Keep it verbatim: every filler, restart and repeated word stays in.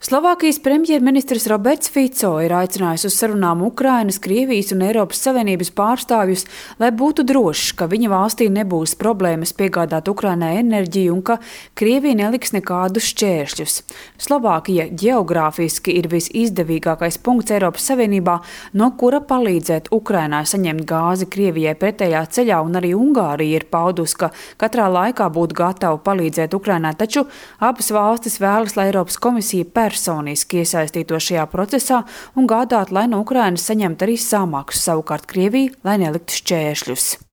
Slovākijas premjerministrs Roberts Fico ir aicinājis uz sarunām Ukrainas, Krievijas un Eiropas Savienības pārstāvjus, lai būtu drošs, ka viņa valstī nebūs problēmas piegādāt Ukrainai enerģiju un ka Krievija neliks nekādus šķēršļus. Slovākija ģeogrāfiski ir visizdevīgākais punkts Eiropas Savienībā, no kura palīdzēt Ukrainai saņemt gāzi Krievijai pretējā ceļā, un arī Ungārija ir paudusi, ka katrā laikā būtu gatava palīdzēt Ukrainai, taču abas valstis vēlas, lai Eiropas komisija pēc personiski iesaistītos šajā procesā un gādāt, lai no Ukrainas saņemtu arī samaksu, savukārt Krievija, lai neliktu šķēršļus.